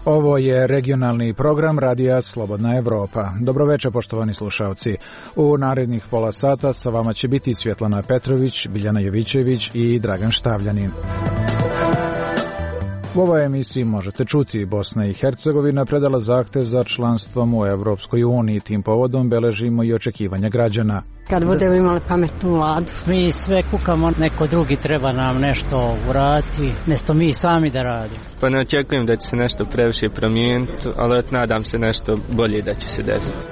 Ovo je regionalni program Radija Slobodna Evropa. Dobroveče, poštovani slušalci. U narednih pola sata sa vama će biti Svjetlana Petrović, Biljana Jovićević i Dragan Štavljanin. U ovoj emisiji možete čuti Bosna i Hercegovina predala zahtev za članstvom u Evropskoj uniji. Tim povodom beležimo i očekivanja građana. Kad budemo imali pametnu vladu. Mi sve kukamo, neko drugi treba nam nešto uraditi, mjesto mi sami da radimo. Pa ne očekujem da će se nešto previše promijeniti, ali nadam se nešto bolje da će se desiti.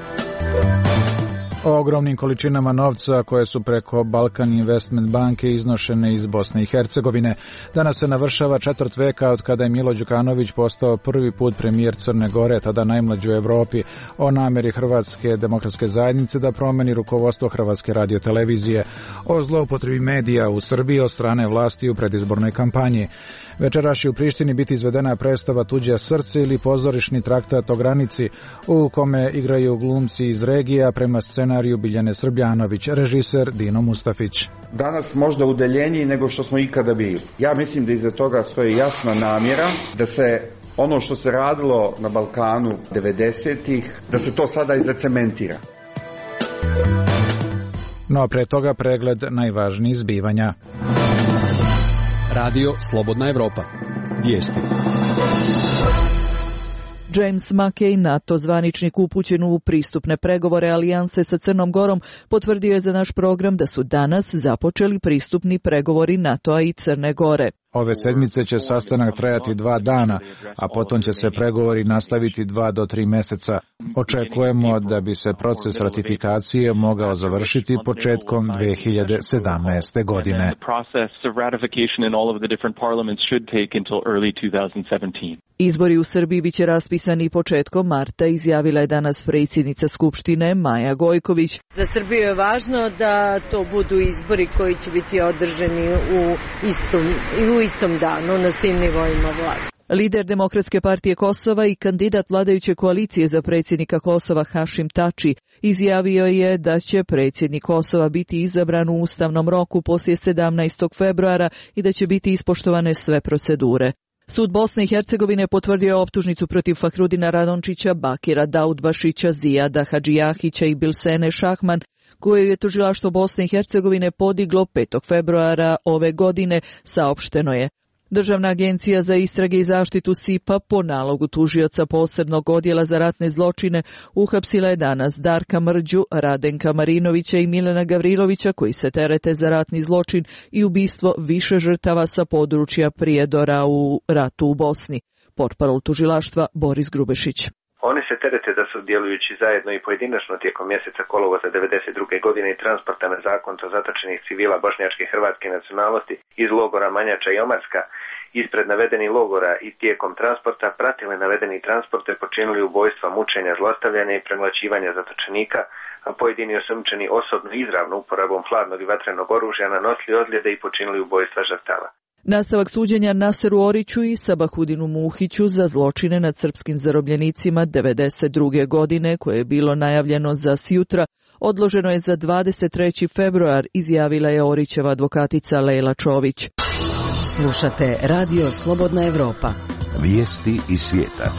O ogromnim količinama novca koje su preko Balkan Investment banke iznošene iz Bosne i Hercegovine. Danas se navršava 4 veka od kada je Milo Đukanović postao prvi put premijer Crne Gore, tada najmlađi u Evropi, o namjeri Hrvatske demokratske zajednice da promeni rukovodstvo Hrvatske radiotelevizije, o zloupotrebi medija u Srbiji od strane vlasti u predizbornoj kampanji. Večeras će u Prištini biti izvedena predstava Tuđe srce ili pozorišni traktat o granici u kome igraju glumci iz regija prema scenariju Biljane Srbljanović, režiser Dino Mustafić. Danas možda udaljeniji nego što smo ikada bili. Ja mislim da iza toga stoji jasna namjera da se ono što se radilo na Balkanu 90-ih, da se to sada i zacementira. No pre toga pregled najvažnijih zbivanja. Radio Slobodna Evropa. Vijesti. James Mackey, NATO zvaničnik upućen u pristupne pregovore alijanse sa Crnom Gorom, potvrdio je za naš program da su danas započeli pristupni pregovori NATO-a i Crne Gore. Ove sedmice će sastanak trajati 2 dana, a potom će se pregovori nastaviti 2 do 3 mjeseca. Očekujemo da bi se proces ratifikacije mogao završiti početkom 2017. godine. Izbori u Srbiji biće raspisani početkom marta, izjavila je danas predsjednica Skupštine Maja Gojković. Za Srbiju je važno da to budu izbori koji će biti održani u istom danu na svim nivoima vlasti. Lider Demokratske partije Kosova i kandidat vladajuće koalicije za predsjednika Kosova Hašim Tači izjavio je da će predsjednik Kosova biti izabran u ustavnom roku poslije 17. februara i da će biti ispoštovane sve procedure. Sud Bosne i Hercegovine potvrdio optužnicu protiv Fahrudina Radončića, Bakira Daudbašića, Zijada Hadžijahića i Bilsene Šahman, koju je tužilaštvo Bosne i Hercegovine podiglo 5. februara ove godine, saopšteno je. Državna agencija za istrage i zaštitu SIPA po nalogu tužioca posebnog odjela za ratne zločine uhapsila je danas Darka Mrđu, Radenka Marinovića i Milana Gavrilovića koji se terete za ratni zločin i ubistvo više žrtava sa područja Prijedora u ratu u Bosni. Portparol tužilaštva Boris Grubešić. Oni se terete da su djelujući zajedno i pojedinačno tijekom mjeseca kolovoza 1992. godine i transporta nezakonito zatočenih civila bošnjačke hrvatske nacionalnosti iz logora Manjača i Omarska ispred navedenih logora i tijekom transporta pratile navedeni transporte, počinili ubojstva, mučenja, zlostavljanja i premlaćivanja zatočenika, a pojedini osumnjičeni osobno izravno uporabom hladnog i vatrenog oružja nanosili ozljede i počinili ubojstva žrtava. Nastavak suđenja Naseru Oriću i Sabahudinu Muhiću za zločine nad srpskim zarobljenicima 1992. godine, koje je bilo najavljeno za sjutra, odloženo je za 23. februar, izjavila je Orićeva advokatica Lejla Čović. Slušate Radio Slobodna Evropa. Vijesti iz svijeta.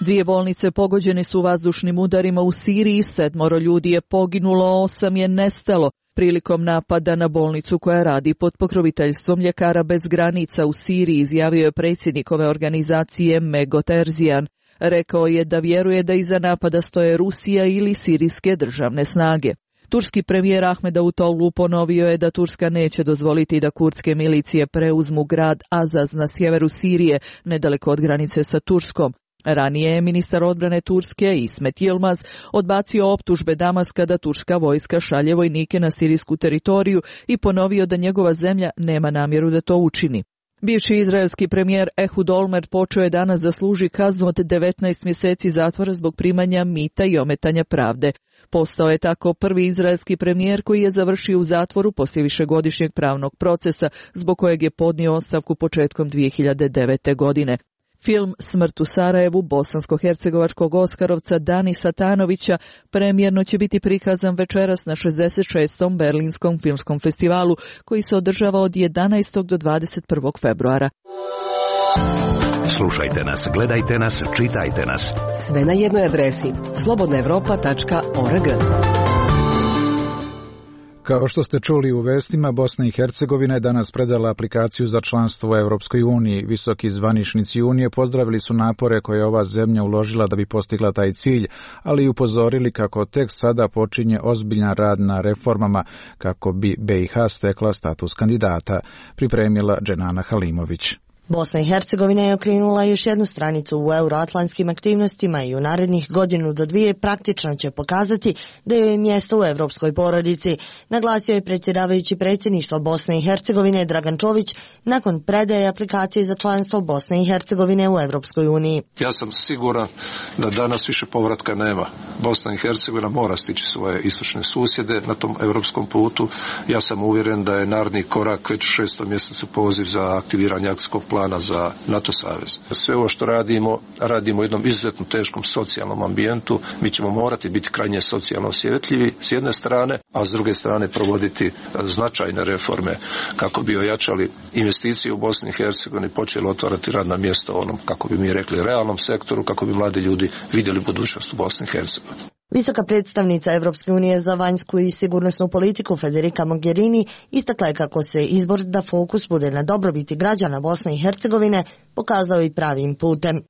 2 bolnice pogođene su vazdušnim udarima u Siriji, 7 ljudi je poginulo, 8 je nestalo prilikom napada na bolnicu koja radi pod pokroviteljstvom Ljekara bez granica u Siriji, izjavio je predsjednik ove organizacije Mego Terzijan. Rekao je da vjeruje da iza napada stoje Rusija ili sirijske državne snage. Turski premijer Ahmed Davutoglu ponovio je da Turska neće dozvoliti da kurdske milicije preuzmu grad Azaz na sjeveru Sirije, nedaleko od granice sa Turskom. Ranije je ministar odbrane Turske Ismet Yilmaz odbacio optužbe Damaska da turska vojska šalje vojnike na sirijsku teritoriju i ponovio da njegova zemlja nema namjeru da to učini. Bivši izraelski premijer Ehud Olmert počeo je danas da služi kaznu od 19 mjeseci zatvora zbog primanja mita i ometanja pravde. Postao je tako prvi izraelski premijer koji je završio u zatvoru poslije višegodišnjeg pravnog procesa zbog kojeg je podnio ostavku početkom 2009. godine. Film Smrt u Sarajevu bosansko-hercegovačkog oskarovca Dani Satanovića premijerno će biti prikazan večeras na 66. Berlinskom filmskom festivalu koji se održava od 11. do 21. februara. Slušajte nas, gledajte nas, čitajte nas. Sve na jednoj adresi slobodnaevropa.org. Kao što ste čuli u vestima, Bosna i Hercegovina je danas predala aplikaciju za članstvo u Europskoj uniji. Visoki zvaničnici Unije pozdravili su napore koje je ova zemlja uložila da bi postigla taj cilj, ali i upozorili kako tek sada počinje ozbiljan rad na reformama kako bi BiH stekla status kandidata, pripremila Dženana Halimović. Bosna i Hercegovina je okrenula još jednu stranicu u euroatlantskim aktivnostima i u narednih godinu do dvije praktično će pokazati da joj je mjesto u europskoj porodici, naglasio je predsjedavajući predsjedništva Bosne i Hercegovine Dragan Čović nakon predaje aplikacije za članstvo Bosne i Hercegovine u Europskoj uniji. Ja sam siguran da danas više povratka nema. Bosna i Hercegovina mora stići svoje istočne susjede na tom europskom putu. Ja sam uvjeren da je naredni korak već u 6. mjesecu poziv za aktiviranje akcijskog plana za NATO savez. Sve ovo što radimo u jednom izuzetno teškom socijalnom ambijentu. Mi ćemo morati biti krajnje socijalno osjetljivi s jedne strane, a s druge strane provoditi značajne reforme kako bi ojačali investicije u Bosni i Hercegovini, počeli otvarati radna mjesta u onom, kako bi mi rekli, realnom sektoru, kako bi mladi ljudi vidjeli budućnost u Bosni i Hercegovini. Visoka predstavnica Europske unije za vanjsku i sigurnosnu politiku Federica Mogherini istakla je kako se izbor da fokus bude na dobrobiti građana Bosne i Hercegovine pokazao i pravim putem.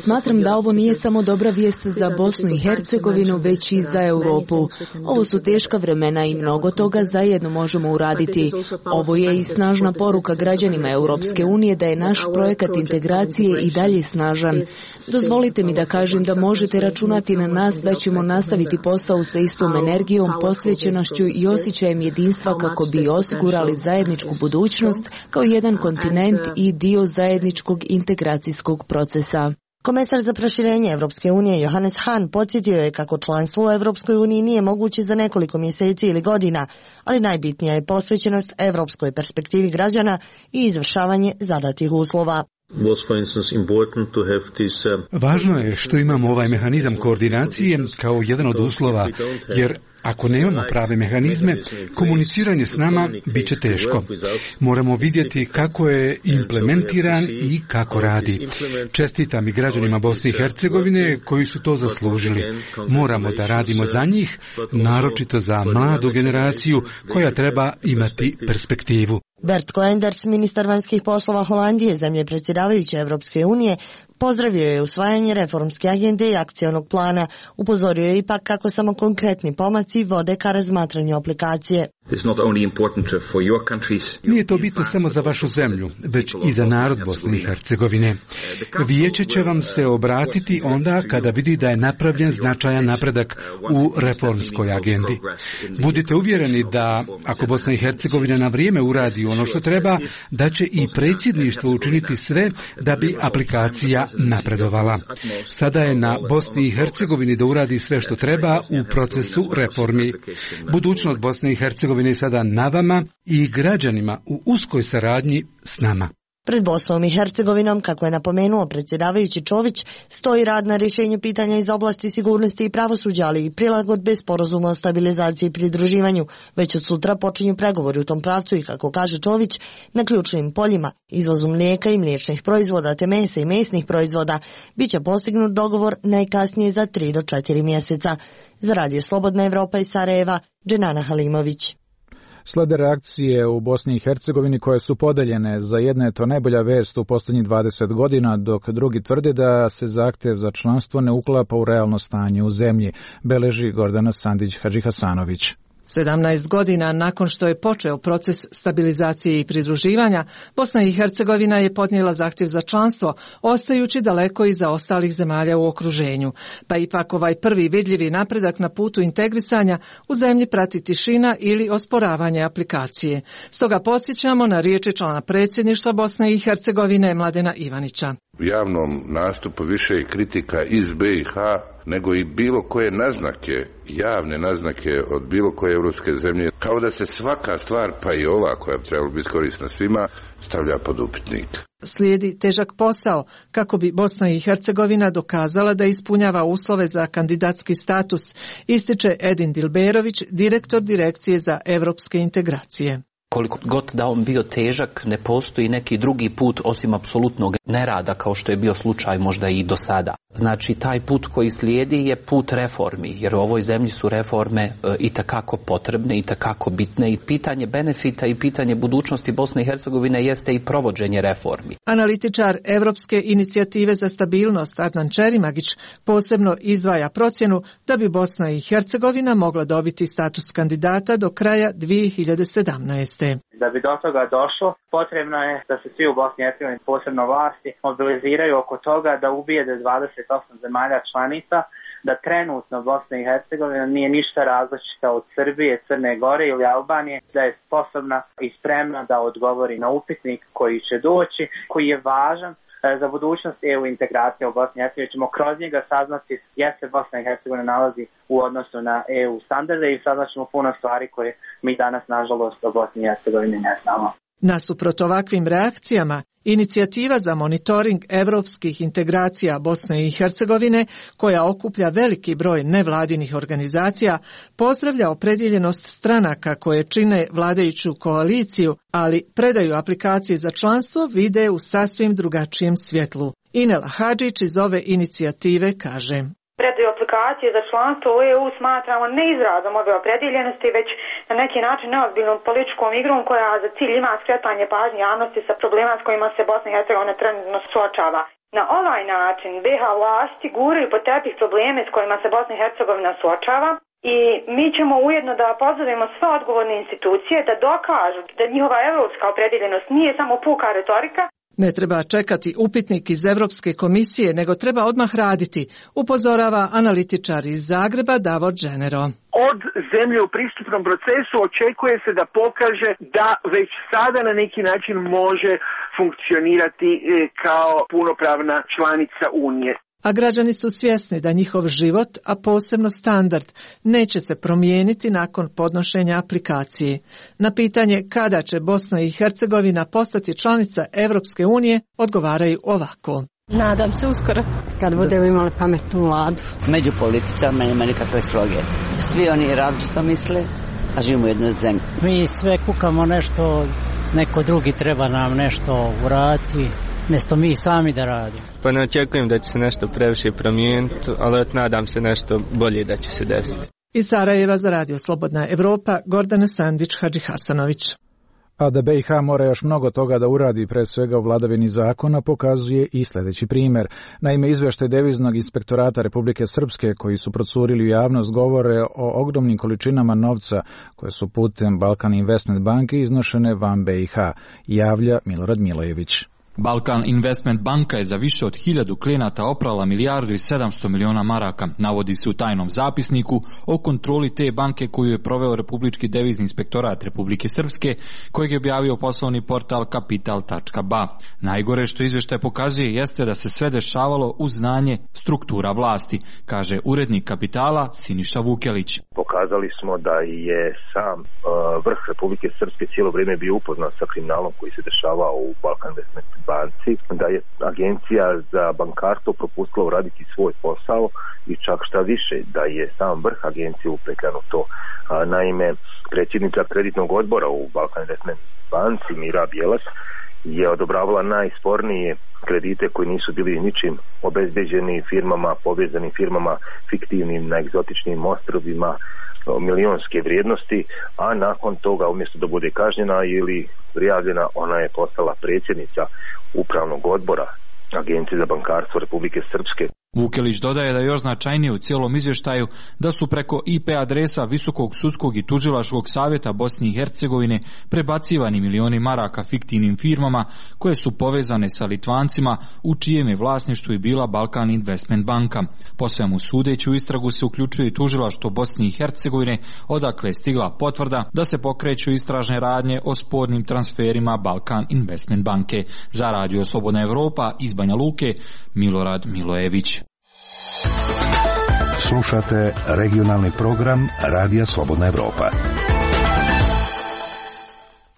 Smatram da ovo nije samo dobra vijest za Bosnu i Hercegovinu, već i za Europu. Ovo su teška vremena i mnogo toga zajedno možemo uraditi. Ovo je i snažna poruka građanima Europske unije da je naš projekat integracije i dalje snažan. Dozvolite mi da kažem da možete računati na nas da ćemo nastaviti posao sa istom energijom, posvećenošću i osjećajem jedinstva kako bi osigurali zajedničku budućnost kao jedan kontinent i dio zajedničkog integracijskog procesa. Komesar za proširenje Europske unije Johannes Hahn podsjetio je kako članstvo u Europskoj uniji nije moguće za nekoliko mjeseci ili godina, ali najbitnija je posvećenost europskoj perspektivi građana i izvršavanje zadatih uslova. Važno je što imamo ovaj mehanizam koordinacije kao jedan od uslova, jer ako nemamo prave mehanizme, komuniciranje s nama bit će teško. Moramo vidjeti kako je implementiran i kako radi. Čestitam i građanima Bosne i Hercegovine koji su to zaslužili. Moramo da radimo za njih, naročito za mladu generaciju koja treba imati perspektivu. Bert Koenders, ministar vanjskih poslova Holandije, zemlje predsjedavajuće Europske unije, pozdravio je usvajanje reformske agende i akcionog plana. Upozorio je ipak kako samo konkretni pomaci vode ka razmatranju aplikacije. Nije to bitno samo za vašu zemlju, već i za narod Bosne i Hercegovine. Vijeće će vam se obratiti onda kada vidi da je napravljen značajan napredak u reformskoj agendi. Budite uvjereni da ako Bosna i Hercegovina na vrijeme uradi ono što treba, da će i predsjedništvo učiniti sve da bi aplikacija napredovala. Sada je na Bosni i Hercegovini da uradi sve što treba u procesu reformi. Budućnost Bosne i Hercegovine je sada na vama i građanima u uskoj saradnji s nama. Pred Bosnom i Hercegovinom, kako je napomenuo predsjedavajući Čović, stoji rad na rješenju pitanja iz oblasti sigurnosti i pravosuđa, ali i prilagodbe sporazuma o stabilizaciji i pridruživanju. Već od sutra počinju pregovori u tom pravcu i, kako kaže Čović, na ključnim poljima, izvozu mlijeka i mliječnih proizvoda te mesa i mesnih proizvoda, bit će postignut dogovor najkasnije za 3 do 4 mjeseca. Za Radio Slobodna Evropa iz Sarajeva, Dženana Halimović. Slede reakcije u Bosni i Hercegovini koje su podeljene. Za jedne je to najbolja vest u posljednjih 20 godina, dok drugi tvrde da se zahtjev za članstvo ne uklapa u realno stanje u zemlji, beleži Gordana Sandić-Hadžihasanović. 17 godina nakon što je počeo proces stabilizacije i pridruživanja, Bosna i Hercegovina je podnijela zahtjev za članstvo, ostajući daleko iza ostalih zemalja u okruženju. Pa ipak ovaj prvi vidljivi napredak na putu integrisanja u zemlji prati tišina ili osporavanje aplikacije. Stoga podsjećamo na riječi člana predsjedništva Bosne i Hercegovine Mladena Ivanića. U javnom nastupu više je kritika iz BiH nego i bilo koje naznake, javne naznake od bilo koje europske zemlje, kao da se svaka stvar, pa i ova koja bi trebala biti korisna svima, stavlja pod upitnik. Slijedi težak posao kako bi Bosna i Hercegovina dokazala da ispunjava uslove za kandidatski status, ističe Edin Dilberović, direktor Direkcije za europske integracije. Koliko god da on bio težak, ne postoji neki drugi put osim apsolutnog nerada kao što je bio slučaj možda i do sada. Znači taj put koji slijedi je put reformi, jer u ovoj zemlji su reforme itekako potrebne, itekako bitne i pitanje benefita i pitanje budućnosti Bosne i Hercegovine jeste i provođenje reformi. Analitičar Evropske inicijative za stabilnost Adnan Čerimagić posebno izdvaja procjenu da bi Bosna i Hercegovina mogla dobiti status kandidata do kraja 2017. Da bi do toga došlo, potrebno je da se svi u Bosni i Hercegovini, posebno vlasti, mobiliziraju oko toga da ubijede 28 zemalja članica, da trenutno Bosna i Hercegovina nije ništa različita od Srbije, Crne Gore ili Albanije, da je sposobna i spremna da odgovori na upitnik koji će doći, koji je važan za budućnost EU integracije u Bosni i Hercegovini. Ćemo kroz njega saznati gdje se Bosna i Hercegovina nalazi u odnosu na EU standarde i saznat ćemo puno stvari koje mi danas, nažalost, o Bosni i Hercegovini ne znamo. Nasuprot ovakvim reakcijama, inicijativa za monitoring evropskih integracija Bosne i Hercegovine, koja okuplja veliki broj nevladinih organizacija, pozdravlja opredjeljenost stranaka koje čine vladajuću koaliciju, ali predaju aplikacije za članstvo vide u sasvim drugačijem svjetlu. Inela Hadžić iz ove inicijative kaže: Predaju aplikacije za članstvo u EU smatramo ne izrazom ove opredjeljenosti, već na neki način neozbiljnom političkom igrom koja za cilj ima skretanje pažnje javnosti sa problema s kojima se Bosna i Hercegovina trenutno suočava. Na ovaj način BiH vlasti guraju pod tepih probleme s kojima se Bosna i Hercegovina suočava i mi ćemo ujedno da pozovemo sve odgovorne institucije da dokažu da njihova europska opredjeljenost nije samo puka retorika. Ne treba čekati upitnik iz Evropske komisije, nego treba odmah raditi, upozorava analitičar iz Zagreba Davor Dženero. Od zemlje u pristupnom procesu očekuje se da pokaže da već sada na neki način može funkcionirati kao punopravna članica Unije. A građani su svjesni da njihov život, a posebno standard, neće se promijeniti nakon podnošenja aplikacije. Na pitanje kada će Bosna i Hercegovina postati članica Evropske unije, odgovaraju ovako. Nadam se uskoro. Kad budemo imali pametnu vladu. Među političarima nema nikakve sloge. Svi oni različito misle, a živimo u jednoj zemlji. Mi sve kukamo nešto, neko drugi treba nam nešto uraditi, mjesto mi sami da radimo. Pa ne očekujem da će se nešto previše promijeniti, ali nadam se nešto bolje da će se desiti. Iz Sarajeva za Radio Slobodna Evropa, Gordana Sandić, Hadži Hasanović. A da BiH mora još mnogo toga da uradi, pre svega u vladavini zakona, pokazuje i sljedeći primjer. Naime, izvještaj Deviznog inspektorata Republike Srpske, koji su procurili u javnost, govore o ogromnim količinama novca koje su putem Balkan Investment banke iznošene van BiH, javlja Milorad Milojević. Balkan Investment banka je za više od 1000 klijenata oprala 1,7 milijardi maraka, navodi se u tajnom zapisniku o kontroli te banke koju je proveo Republički devizni inspektorat Republike Srpske, kojeg je objavio poslovni portal kapital.ba. Najgore što izvještaj pokazuje jeste da se sve dešavalo uz znanje struktura vlasti, kaže urednik Kapitala Siniša Vukelić. Pokazali smo da je sam vrh Republike Srpske cijelo vrijeme bio upoznat sa kriminalom koji se dešavao u Balkan Investment banci, da je agencija za bankarstvo propustila uraditi svoj posao i čak šta više, da je sam vrh agencije upetljan u to. Naime, predsjednica kreditnog odbora u Balkan Investment banci Mira Bjelac je odobravala najspornije kredite koji nisu bili ničim obezbeđeni firmama, povezanim firmama, fiktivnim na egzotičnim ostrvima, milionske vrijednosti, a nakon toga umjesto da bude kažnjena ili prijavljena, ona je postala predsjednica upravnog odbora Agencije za bankarstvo Republike Srpske. Vukelić dodaje da je još značajnije u cijelom izvještaju da su preko IP adresa Visokog sudskog i tužilačkog savjeta Bosne i Hercegovine prebacivani milioni maraka fiktivnim firmama koje su povezane sa Litvancima u čijem je vlasništvu i bila Balkan Investment banka. Po svemu sudeći u istragu se uključuje i tužilaštvo Bosne i Hercegovine, odakle je stigla potvrda da se pokreću istražne radnje o spornim transferima Balkan Investment banke. Za Radio Slobodna Evropa iz Banja Luke, Milorad Milojević. Slušate regionalni program Radija Slobodna Evropa.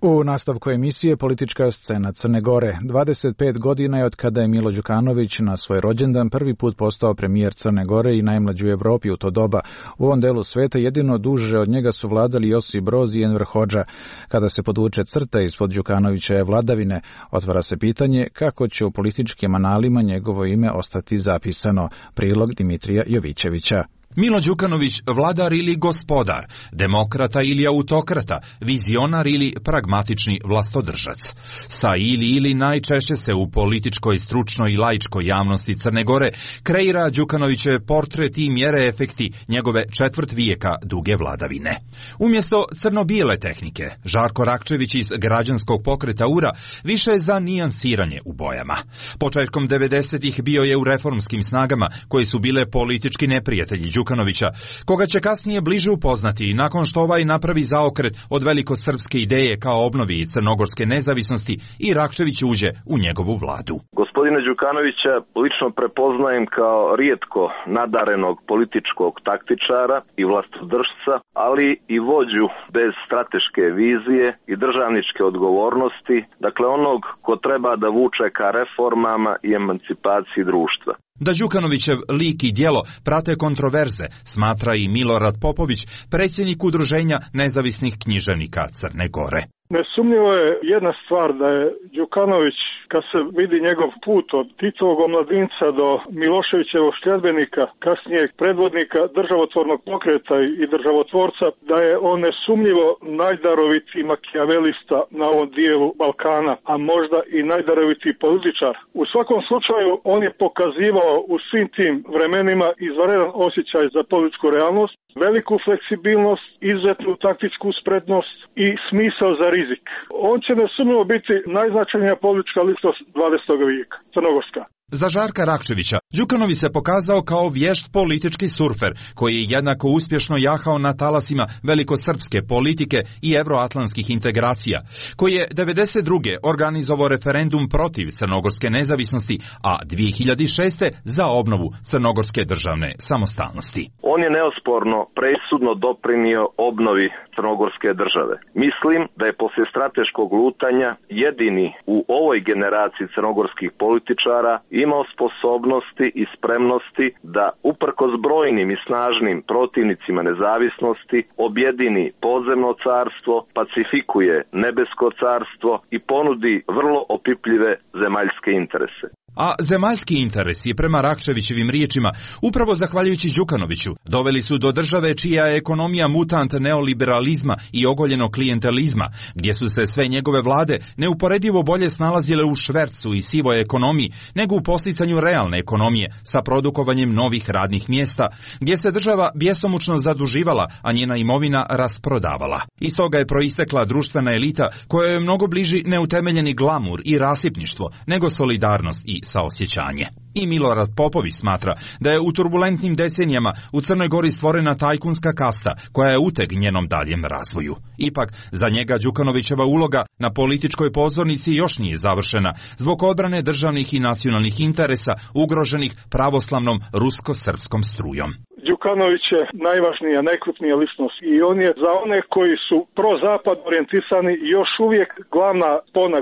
U nastavku emisije politička scena Crne Gore. 25 godina je od kada je Milo Đukanović na svoj rođendan prvi put postao premijer Crne Gore i najmlađi u Evropi u to doba. U ovom delu sveta jedino duže od njega su vladali Josip Broz i Enver Hodža. Kada se podvuče crta ispod Đukanovićeve vladavine, otvara se pitanje kako će u političkim analima njegovo ime ostati zapisano. Prilog Dimitrija Jovićevića. Milo Đukanović, vladar ili gospodar, demokrata ili autokrata, vizionar ili pragmatični vlastodržac. Sa ili najčešće se u političkoj, stručnoj i laičkoj javnosti Crne Gore kreira Đukanovićev portret i mjere efekti njegove četvrt vijeka duge vladavine. Umjesto crno-bijele tehnike, Žarko Rakčević iz građanskog pokreta URA više je za nijansiranje u bojama. Početkom 90-ih bio je u reformskim snagama koje su bile politički neprijatelji Đukanovića, koga će kasnije bliže upoznati nakon što ovaj napravi zaokret od velikosrpske ideje kao obnovi crnogorske nezavisnosti i Rakčević uđe u njegovu vladu. Gospodina Đukanovića lično prepoznajem kao rijetko nadarenog političkog taktičara i vlastodržca, ali i vođu bez strateške vizije i državničke odgovornosti, dakle onog ko treba da vuče ka reformama i emancipaciji društva. Da Đukanovićev lik i djelo prate kontroverze, smatra i Milorad Popović, predsjednik Udruženja nezavisnih književnika Crne Gore. Nesumnjivo je jedna stvar da je Đukanović, kad se vidi njegov put od Titovog omladinca do Miloševićevog sljedbenika, kasnijeg predvodnika državotvornog pokreta i državotvorca, da je on nesumnjivo najdarovitiji makijavelista na ovom dijelu Balkana, a možda i najdarovitiji političar. U svakom slučaju on je pokazivao u svim tim vremenima izvanredan osjećaj za političku realnost, veliku fleksibilnost, izuzetnu taktičku spretnost i smisao za rizik. On će nesumnjivo biti najznačajnija politička ličnost 20. vijeka, crnogorska. Za Žarka Rakčevića, Đukanović se pokazao kao vješt politički surfer, koji je jednako uspješno jahao na talasima velikosrpske politike i evroatlantskih integracija, koji je 1992. organizovao referendum protiv crnogorske nezavisnosti, a 2006. za obnovu crnogorske državne samostalnosti. On je neosporno presudno doprinio obnovi crnogorske države. Mislim da je poslije strateškog lutanja jedini u ovoj generaciji crnogorskih političara imao sposobnosti i spremnosti da uprkos brojnim i snažnim protivnicima nezavisnosti objedini podzemno carstvo, pacifikuje nebesko carstvo i ponudi vrlo opipljive zemaljske interese. A zemaljski interesi, prema Rakčevićevim riječima, upravo zahvaljujući Đukanoviću, doveli su do države čija je ekonomija mutant neoliberalizma i ogoljenog klijentelizma, gdje su se sve njegove vlade neuporedivo bolje snalazile u švercu i sivoj ekonomiji, nego u posticanju realne ekonomije sa produkovanjem novih radnih mjesta, gdje se država bjesomučno zaduživala, a njena imovina rasprodavala. Iz toga je proistekla društvena elita koja je mnogo bliži neutemeljeni glamur i rasipništvo, nego solidarnost i saosjećanje. I Milorad Popović smatra da je u turbulentnim decenijama u Crnoj Gori stvorena tajkunska kasta koja je uteg njenom daljem razvoju. Ipak, za njega Đukanovićeva uloga na političkoj pozornici još nije završena zbog odbrane državnih i nacionalnih interesa ugroženih pravoslavnom rusko-srpskom strujom. Đukanović je najvažnija, najkrupnija ličnost i on je za one koji su pro-zapad orijentisani još uvijek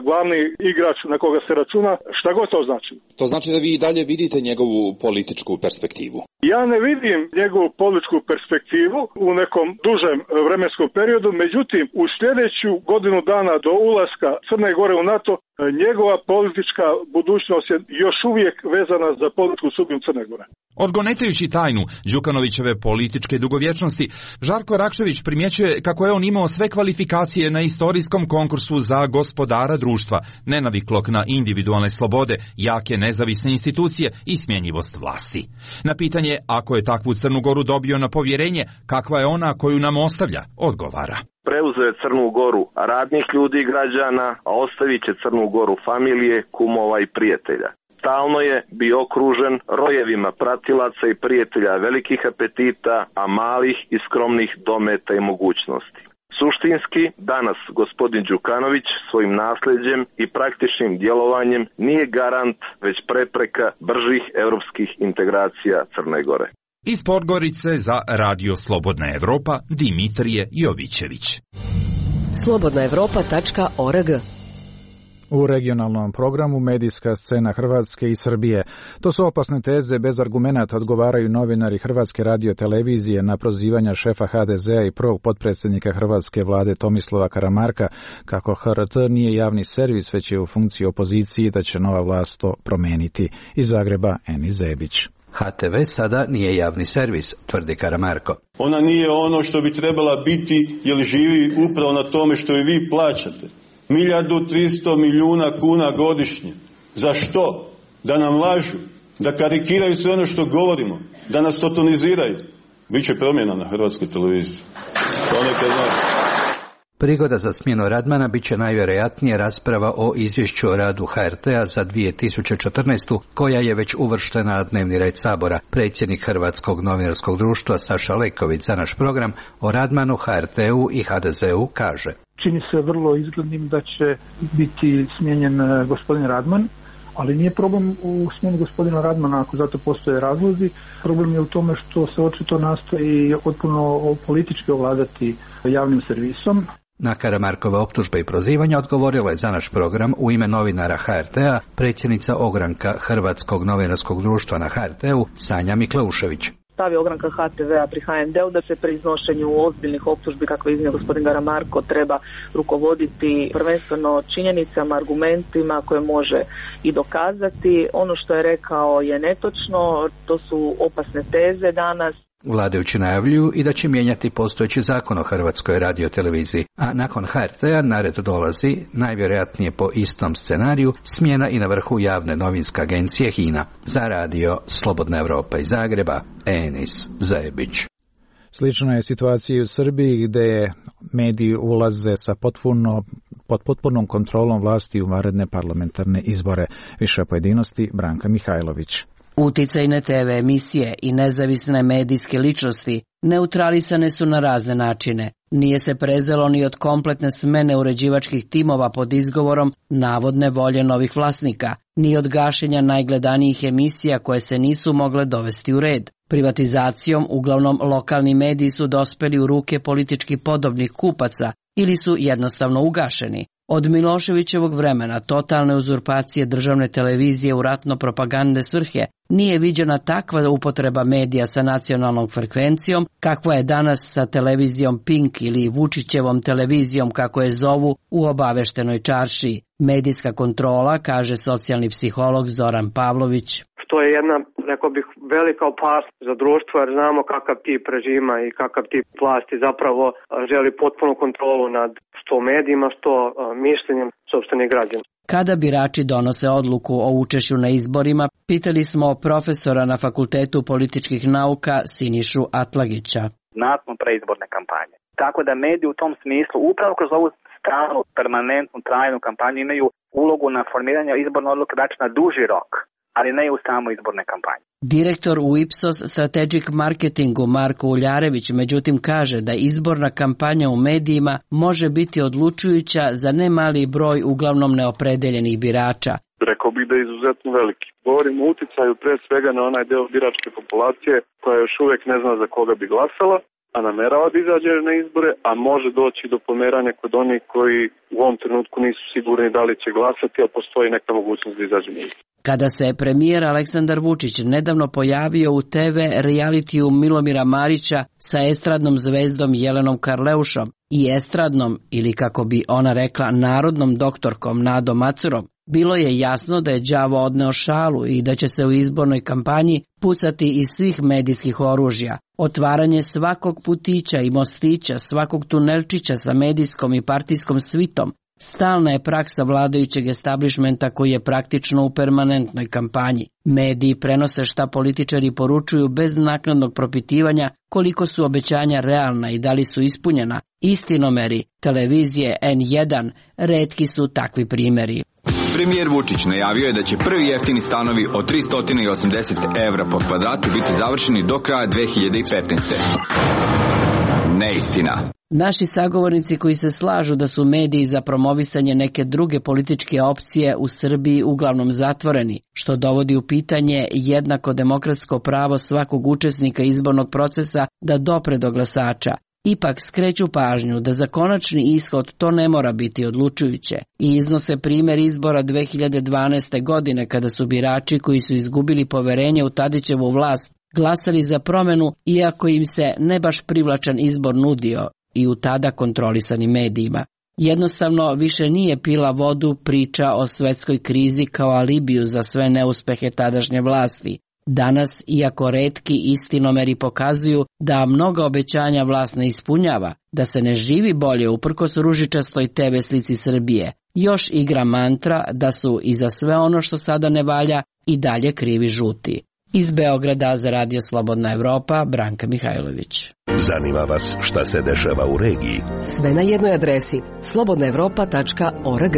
glavni igrač na koga se računa, šta god to znači. To znači da vi i dalje vidite njegovu političku perspektivu? Ja ne vidim njegovu političku perspektivu u nekom dužem vremenskom periodu, međutim u sljedeću godinu dana do ulaska Crne Gore u NATO njegova politička budućnost je još uvijek vezana za političku sudbinu Crne Gore. Odgonetajući tajnu Đukanovićeve političke dugovječnosti, Žarko Rakčević primjećuje kako je on imao sve kvalifikacije na istorijskom konkursu za gospodara društva, nenaviklog na individualne slobode, jake nezavisne institucije i smjenjivost vlasti. Na pitanje, ako je takvu Crnu Goru dobio na povjerenje, kakva je ona koju nam ostavlja, odgovara. Preuzeo je Crnu Goru radnih ljudi i građana, a ostavit će Crnu Goru familije, kumova i prijatelja. Stalno je bio okružen rojevima pratilaca i prijatelja velikih apetita, a malih i skromnih dometa i mogućnosti. Suštinski, danas gospodin Đukanović svojim nasljeđem i praktičnim djelovanjem nije garant, već prepreka bržih europskih integracija Crne Gore. Iz Podgorice za Radio Slobodna Evropa, Dimitrije Jovićević. slobodnaevropa.org. U regionalnom programu medijska scena Hrvatske i Srbije. To su opasne teze, bez argumenata odgovaraju novinari Hrvatske radiotelevizije na prozivanja šefa HDZ-a i prvog potpredsjednika Hrvatske vlade Tomislava Karamarka kako HRT nije javni servis, već je u funkciji opozicije, da će nova vlast to promeniti. Iz Zagreba Eni Zebić. HTV sada nije javni servis, tvrdi Karamarko. Ona nije ono što bi trebala biti, jer živi upravo na tome što i vi plaćate. 1.300 milijuna kuna godišnje. Za što? Da nam lažu, da karikiraju sve ono što govorimo, da nas sotoniziraju. Biće promjena na Hrvatskoj televiziji. To neka zna. Prigoda za smjenu Radmana bit će najvjerojatnije rasprava o izvješću o radu HRT-a za 2014. koja je već uvrštena na dnevni red Sabora. Predsjednik Hrvatskog novinarskog društva Saša Leković za naš program o Radmanu, HRT-u i HDZ-u kaže: čini se vrlo izglednim da će biti smijenjen gospodin Radman, ali nije problem u smjeni gospodina Radmana ako zato postoje razlozi. Problem je u tome što se očito nastoji potpuno politički ovladati javnim servisom. Na Karamarkove optužbe i prozivanja odgovorila je za naš program u ime novinara HRT-a predsjednica ogranka Hrvatskog novinarskog društva na HRT-u Sanja Mikleušević. Stav je ogranka HTV-a pri HND-u da se pri iznošenju ozbiljnih optužbi, kako je iznio gospodin Karamarko, treba rukovoditi prvenstveno činjenicama, argumentima koje može i dokazati. Ono što je rekao je netočno, to su opasne teze danas. Vladajući najavljuju i da će mijenjati postojeći zakon o Hrvatskoj radioteleviziji, a nakon HRT-a na red dolazi, najvjerojatnije po istom scenariju, smjena i na vrhu javne novinske agencije HINA. Za radio Slobodna Evropa iz Zagreba, Enis Zebić. Slična je situacija i u Srbiji, gdje mediji ulaze sa pod potpunom kontrolom vlasti u vanredne parlamentarne izbore. Više pojedinosti Branka Mihajlović. Uticajne TV emisije i nezavisne medijske ličnosti neutralisane su na razne načine. Nije se prezelo ni od kompletne smene uređivačkih timova pod izgovorom navodne volje novih vlasnika, ni od gašenja najgledanijih emisija koje se nisu mogle dovesti u red. Privatizacijom uglavnom lokalni mediji su dospeli u ruke politički podobnih kupaca ili su jednostavno ugašeni. Od Miloševićevog vremena totalne uzurpacije državne televizije u ratno-propagandne svrhe nije viđena takva upotreba medija sa nacionalnom frekvencijom kakva je danas sa televizijom Pink ili Vučićevom televizijom kako je zovu u obaveštenoj čaršiji. Medijska kontrola, kaže socijalni psiholog Zoran Pavlović. To je jedna, rekao bih, velika opasnost za društvo, jer znamo kakav tip režima i kakav tip vlasti zapravo želi potpunu kontrolu nad što medijima, što mišljenjem sopstvenih građana. Kada birači donose odluku o učešću na izborima, pitali smo profesora na Fakultetu političkih nauka Sinišu Atlagića. Nakon preizborne kampanje. Tako da mediji u tom smislu, upravo kroz ovu stalnu, permanentnu, trajnu kampanju imaju ulogu na formiranje izborne odluke, znači na duži rok, ali ne i u samo izborne kampanje. Direktor u Ipsos Strategic Marketingu Marko Uljarević međutim kaže da izborna kampanja u medijima može biti odlučujuća za ne mali broj uglavnom neopredeljenih birača. Rekao bih da je izuzetno veliki. Govorimo o uticaju pre svega na onaj deo biračke populacije koja još uvijek ne zna za koga bi glasala, a namerava da izađe na izbore, a može doći do pomeranja kod onih koji u ovom trenutku nisu sigurni da li će glasati, a postoji neka mogućnost da izađe na izbore. Kada se premijer Aleksandar Vučić nedavno pojavio u TV realitiju Milomira Marića sa estradnom zvezdom Jelenom Karleušom i estradnom, ili kako bi ona rekla, narodnom doktorkom Nadom Macurom, bilo je jasno da je đavo odneo šalu i da će se u izbornoj kampanji pucati iz svih medijskih oružja. Otvaranje svakog putića i mostića, svakog tunelčića sa medijskom i partijskom svitom stalna je praksa vladajućeg establišmenta koji je praktično u permanentnoj kampanji. Mediji prenose šta političari poručuju bez naknadnog propitivanja koliko su obećanja realna i da li su ispunjena. Istinomeri televizije N1 retki su takvi primjeri. Premijer Vučić najavio je da će prvi jeftini stanovi od 380 evra po kvadratu biti završeni do kraja 2015. Neistina. Naši sagovornici koji se slažu da su mediji za promovisanje neke druge političke opcije u Srbiji uglavnom zatvoreni, što dovodi u pitanje jednako demokratsko pravo svakog učesnika izbornog procesa da dopre do glasača. ipak skreću pažnju da za konačni ishod to ne mora biti odlučujuće i iznose primjer izbora 2012. godine kada su birači koji su izgubili poverenje u Tadićevu vlast glasali za promjenu iako im se ne baš privlačan izbor nudio i u tada kontrolisanim medijima. Jednostavno više nije pila vodu priča o svetskoj krizi kao alibiju za sve neuspehe tadašnje vlasti. Danas, iako retki istinomeri pokazuju da mnoga obećanja vlast ne ispunjava, da se ne živi bolje uprkos ružičastoj TV slici Srbije, još igra mantra da su i za sve ono što sada ne valja i dalje krivi žuti. Iz Beograda za Radio Slobodna Evropa, Branka Mihajlović. Zanima vas šta se dešava u regiji? Sve na jednoj adresi slobodnaevropa.org.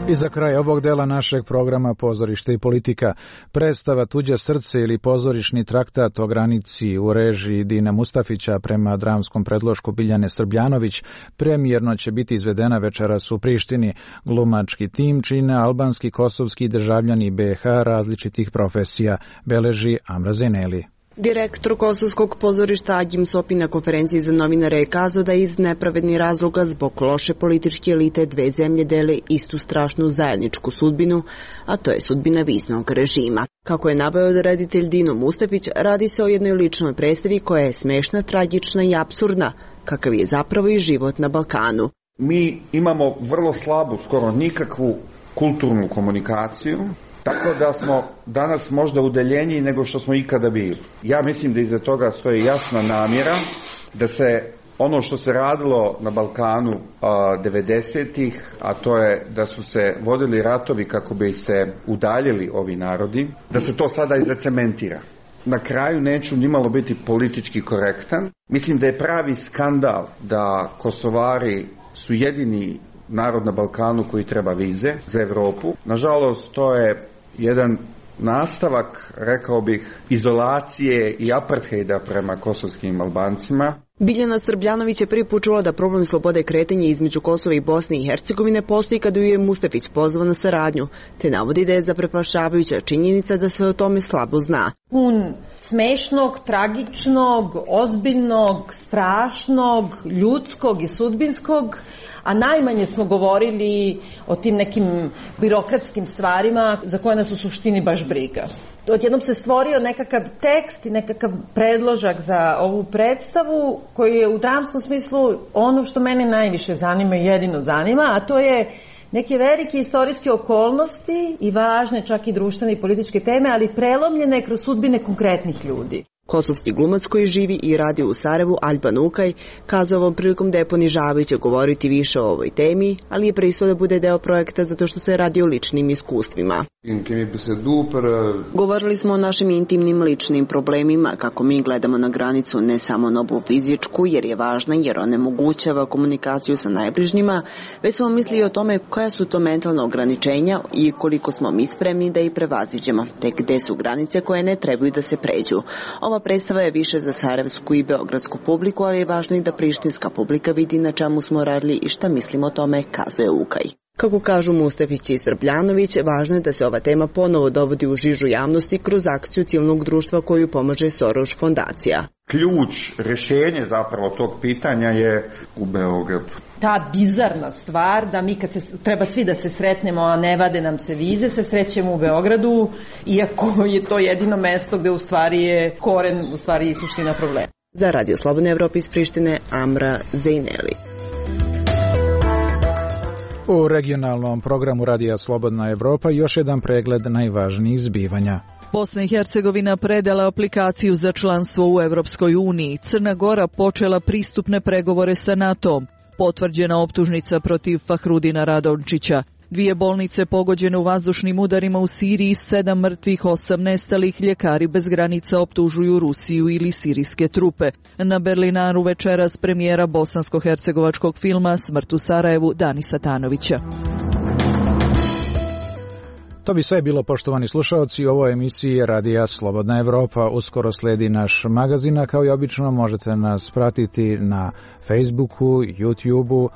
I za kraj ovog dela našeg programa Pozorište i politika, predstava Tuđe srce ili pozorišni traktat o granici u režiji Dina Mustafića prema dramskom predlošku Biljane Srbljanović premijerno će biti izvedena večeras u Prištini. Glumački tim čine albanski, kosovski državljani BiH različitih profesija, beleži Amra Zeneli. Direktor Kosovskog pozorišta Agim Sopi na konferenciji za novinare je kazao da iz nepravednih razloga zbog loše političke elite dve zemlje dele istu strašnu zajedničku sudbinu, a to je sudbina viznog režima. Kako je naveo reditelj Dino Mustafić, radi se o jednoj ličnoj predstavi koja je smešna, tragična i apsurdna, kakav je zapravo i život na Balkanu. Mi imamo vrlo slabu, skoro nikakvu kulturnu komunikaciju, tako da smo danas možda udaljeniji nego što smo ikada bili. Ja mislim da iza toga stoji jasna namjera da se ono što se radilo na Balkanu 90-ih, a to je da su se vodili ratovi kako bi se udaljili ovi narodi, da se to sada i zacementira. Na kraju neću nimalo biti politički korektan. Mislim da je pravi skandal da Kosovari su jedini narod na Balkanu koji treba vize za Europu. Nažalost, to je jedan nastavak, rekao bih, izolacije i apartheida prema kosovskim Albancima. Biljana Srbljanović je prvi put čula da problem slobode kretanja između Kosova i Bosne i Hercegovine postoji kada ju je Mustafić pozvao na saradnju, te navodi da je zaprepašavajuća činjenica da se o tome slabo zna. Pun smešnog, tragičnog, ozbiljnog, strašnog, ljudskog i sudbinskog, a najmanje smo govorili o tim nekim birokratskim stvarima za koje nas u suštini baš briga. Odjednom se stvorio nekakav tekst i nekakav predložak za ovu predstavu koji je u dramskom smislu ono što mene najviše zanima i jedino zanima, a to je neke velike istorijske okolnosti i važne čak i društvene i političke teme, ali prelomljene kroz sudbine konkretnih ljudi. Kosovski glumac koji živi i radi u Sarajevu, Alban Ukaj, kazao ovom prilikom da je ponižavajuće govoriti više o ovoj temi, ali je pristao da bude deo projekta zato što se radi o ličnim iskustvima. Govorili smo o našim intimnim ličnim problemima, kako mi gledamo na granicu ne samo na ovu fizičku, jer je važna, jer onemogućava komunikaciju sa najbližnjima, već smo mislili o tome koja su to mentalna ograničenja i koliko smo mi spremni da ih prevaziđemo, te gde su granice koje ne trebaju da se pređu. Ova predstava je više za sarajevsku i beogradsku publiku, ali je važno i da prištinska publika vidi na čemu smo radili i šta mislimo o tome, kazuje Ukaj. Kako kažu Mustafić i Srbljanović, važno je da se ova tema ponovo dovodi u žižu javnosti kroz akciju civilnog društva koju pomaže Soros fondacija. Ključ, rješenje zapravo tog pitanja je u Beogradu. Ta bizarna stvar da mi kad se treba svi da se sretnemo, a ne vade nam se vize, se srećemo u Beogradu, iako je to jedino mesto gde u stvari je koren, u stvari i suština problema. Za Radio Slobodna Evropa iz Prištine, Amra Zejneli. U regionalnom programu Radija Slobodna Evropa još jedan pregled najvažnijih zbivanja. Bosna i Hercegovina predala aplikaciju za članstvo u Evropskoj uniji. Crna Gora počela pristupne pregovore sa NATO-om. Potvrđena optužnica protiv Fahrudina Radončića. 2 bolnice pogođene u vazdušnim udarima u Siriji, 7 mrtvih, 8 nestalih. Ljekari bez granica optužuju Rusiju ili sirijske trupe. Na Berlinaru večeras premijera bosansko-hercegovačkog filma Smrt u Sarajevu Danisa Tanovića. To bi sve bilo, poštovani slušaoci, u ovoj emisiji Radija Slobodna Evropa. Uskoro sledi naš magazin, kao i obično možete nas pratiti na Facebooku, YouTubeu,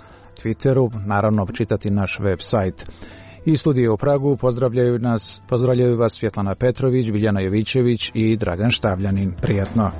Twitteru, naravno čitati naš web sajt. Iz studija u Pragu pozdravljaju vas Svjetlana Petrović, Biljana Jovićević i Dragan Štavljanin. Prijatno!